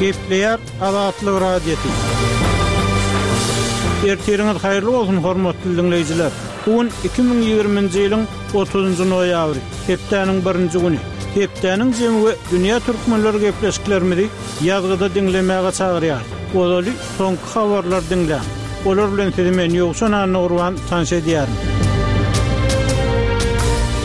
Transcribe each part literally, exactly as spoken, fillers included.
Gepleýär Azatlyk Radiosy. Ertiriňiz haýyrly bolsun, hormatly diňleýjiler. Bu gün iki müň ýigriminji ýylyň otuzynjy noýabry, hepdäniň birinji güni. Hepdäniň jemi we dünýä türkmenleri gepleşiklerimizi ýazgyda diňlemäge çagyrýar. Ozaly soňky habarlar diňläň. Olar bilen sizi men Ýowşan Annagurban tanyş edýärin.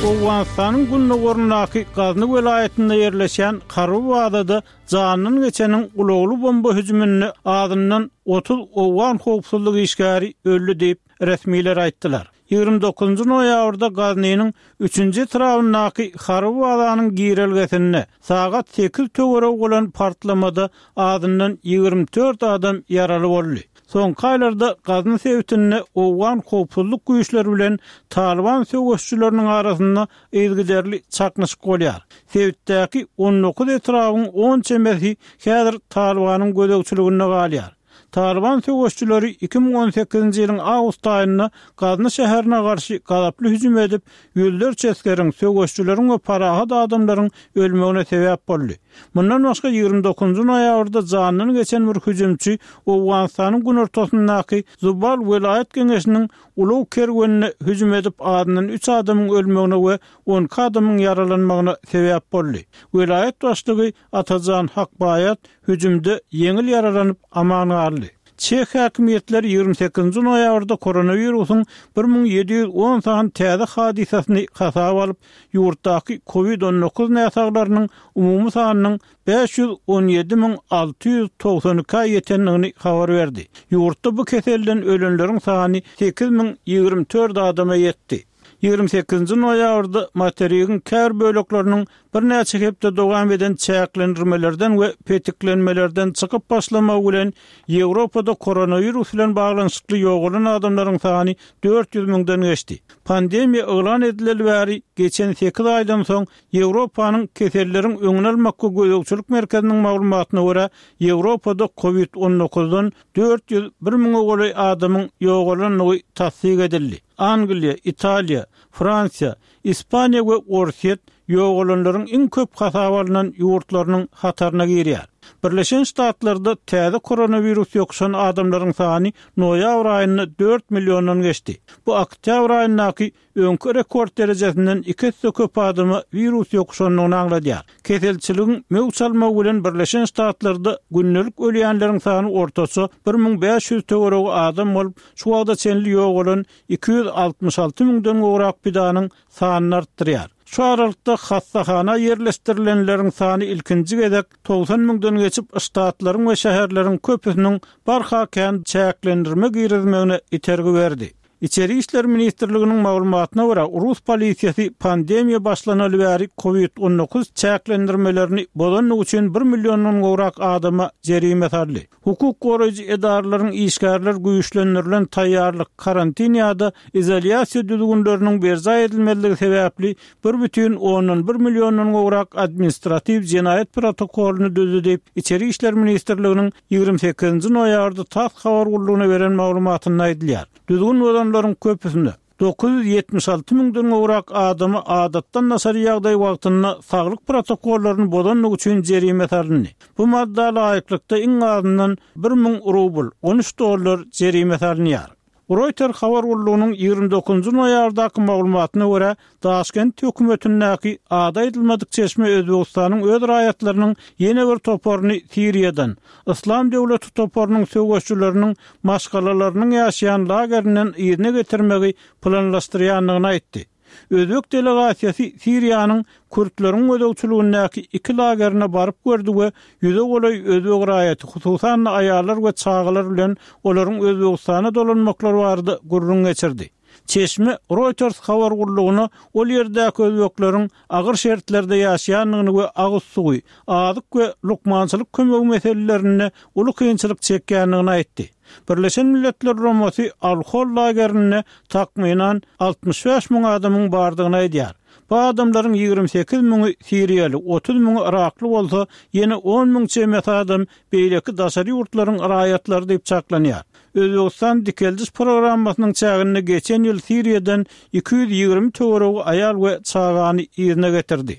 Owganystanyň gündogaryndaky Gazny welaýatynda ýerleşýän harby bazada janyndan geçeniň ulagly bomba hüjüminde azyndan otuz owgan howpsuzlyk işgäri öldi diýip, resmiler aýtdylar. Ýigrimi dokuzynjy noýabrda Gaznynyň üçünji etrabyndaky harby bazanyň girelgesinde sagat sekiz töweregi bolan partlamada azyndan ýigrimi dört adam ýaraly boldy. Soňky aýlarda Gazny sebitinde owgan howpsuzlyk güýçleri bilen Talyban söweşçileriniň arasynda yzygiderli çaknyşyk bolýar. Sebitdäki on dokuz etrabyň on çemesi häzir Talybanyň gözegçiliginde galýar. Talyban söweşçileri iki müň on sekizinji ýylyň awgust aýynda Gazny şäherine garşy gazaply hüjüm edip, ýüzlerçe esgeriň, söweşçileriň we parahat adamlaryň ölmegine sebäp boldy. Mundan başga ýigrimi dokuzynjy noýabrda jandan geçen bir hüjümçi Owganystanyň günortasyndaky Zubal welaýat geňeşiniň ulag kerwenine hüjüm edip, azyndan üç adamyň ölmegine we on iki adamyň ýaralanmagyna sebäp boldy. Welaýat başlygy Atajan Hakbaýat hüjümde ýeňil ýaralanyp aman galdy. Çeh häkimiýetleri ýigrimi sekizinji noýabrda koronawirusyň bir müň ýedi ýüz on sany täze hadysasyny hasaba alyp, ýurtdaky covid on dokuz näsaglarynyň umumy sanynyň bäş ýüz on ýedi müň alty ýüz togsan ikä ýetendigini habar berdi. Ýurtda bu keselden ölenleriň sany sekiz müň ýigrimi dört adama ýetdi. Ýigrimi sekizinji noýabrda materigiň käbir bölekleriniň birnäçe hepde dowam eden çäklendirmelerden we petiklenmelerden çykyp başlamagy bilen Ýewropada koronawirus bilen baglanyşykly ýogalan adamlaryň sany dört ýüz müňden geçdi. Pandemiýa yglan edileli bäri geçen sekiz aýdan soň Ýewropanyň keselleriň öňüni almak we gözegçilik merkeziniň maglumatyna görä, Ýewropada covid on dokuzdan dört ýüz bir müňe golaý adamyň ýogalandygy tassyk edildi. Angliýa, Italiýa, Fransiýa, Ispaniýa we Orsýet ýogalanlaryň iň köp hasaba alnan ýurtlarynyň hataryna girýär. Birleşen Ştatlarda täze koronawirus ýokuşan adamlaryň sany noýabr aýynda dört milliondan geçdi. Bu oktýabr aýyndaky öňki rekord derejesinden iki esse köp adama wirus ýokuşandygyny aňladýar. Keselçiligiň möwç almagy bilen Birleşen Ştatlarda gündelik ölýänleriň sany ortaça bir müň bäş ýüz töweregi adam bolup, şu wagta çenli ýogalan iki ýüz altmyş alty müňden gowrak pidanyň sanyny artdyrýar. Şu aralykda hassahana ýerleşdirilenleriň sany ilkinji gezek togsan müňden geçip, ştatlaryň we şäherleriň köpüsiniň barha kän çäklendirme girizmegine itergi berdi. Içeri işler ministrliginiň maglumatyna görä, rus polisiýasy pandemiýa başlanaly bäri covid on dokuz çäklendirmelerini bozandygy üçin bir milliondan gowrak adama jerime saldy. Hukuk goraýjy edaralaryň işgärler güýçlendirilen taýýarlyk, karantin ýa-da izolýasiýa düzgünleriniň berjaý edilmezligi sebäpli bir bütin ondan bir milliondan gowrak administratiw jenaýat protokolyny düzdi diýip, Içeri işler ministrliginiň ýigrimi sekizinji noýabrda TASS habar gullugyna beren maglumatynda aýdylýar. Düzgün bozanlaryň köpüsinde dokuz ýüz ýetmiş alty müňden gowrak adamy adatdan daşary ýagdaý wagtynda saglyk protokollaryny bozandygy üçin jerime salyndy. Bu madda laýyklykda iň azyndan bir müň rubl, on üç dollar jerime salynýar. Reuters habar gullugynyň ýigrimi dokuzynjy noýabrdaky maglumatyna görä, Daşkent hökümetindäki ady aýdylmadyk çeşme Özbegistanyň öz raýatlarynyň ýene bir toparyny Siriýadan, Yslam döwleti toparynyň söweşçileriniň maşgalalarynyň ýaşaýan lagerinden yzyna getirmegi planlaşdyrýandygyny aýtdy. Özbek delegasiýasy Siriýanyň kürtleriň gözegçiligindäki iki lagerine baryp gördi we ýüze golaý özbek raýaty, hususan-da aýallar we çagalar bilen olaryň Özbegistana dolanmaklary barada gürrüň geçirdi. Çeşme Reuters habar gullugyna ol ýerdäki özbekleriň agyr şertlerde ýaşaýandygyny we agyz suwy, azyk we lukmançylyk kömegi meselelerinde uly kynçylyk çekýändigini aýtdy. Birleşen Milletler Guramasy Al-Hol lagerinde takmynan altmyş bäş müň adamyň bardygyny aýdýar. Bu adamlaryň ýigrimi sekiz müňi siriýaly, otuz müňi yrakly bolsa, ýene on müň çemesi adam beýleki daşary ýurtlaryň raýatlary diýip çaklanýar. Özbegistan dikeldiş programmasynyň çäginde geçen ýyl Siriýadan iki ýüz ýigrimi töweregi aýal we çagany yzyna getirdi.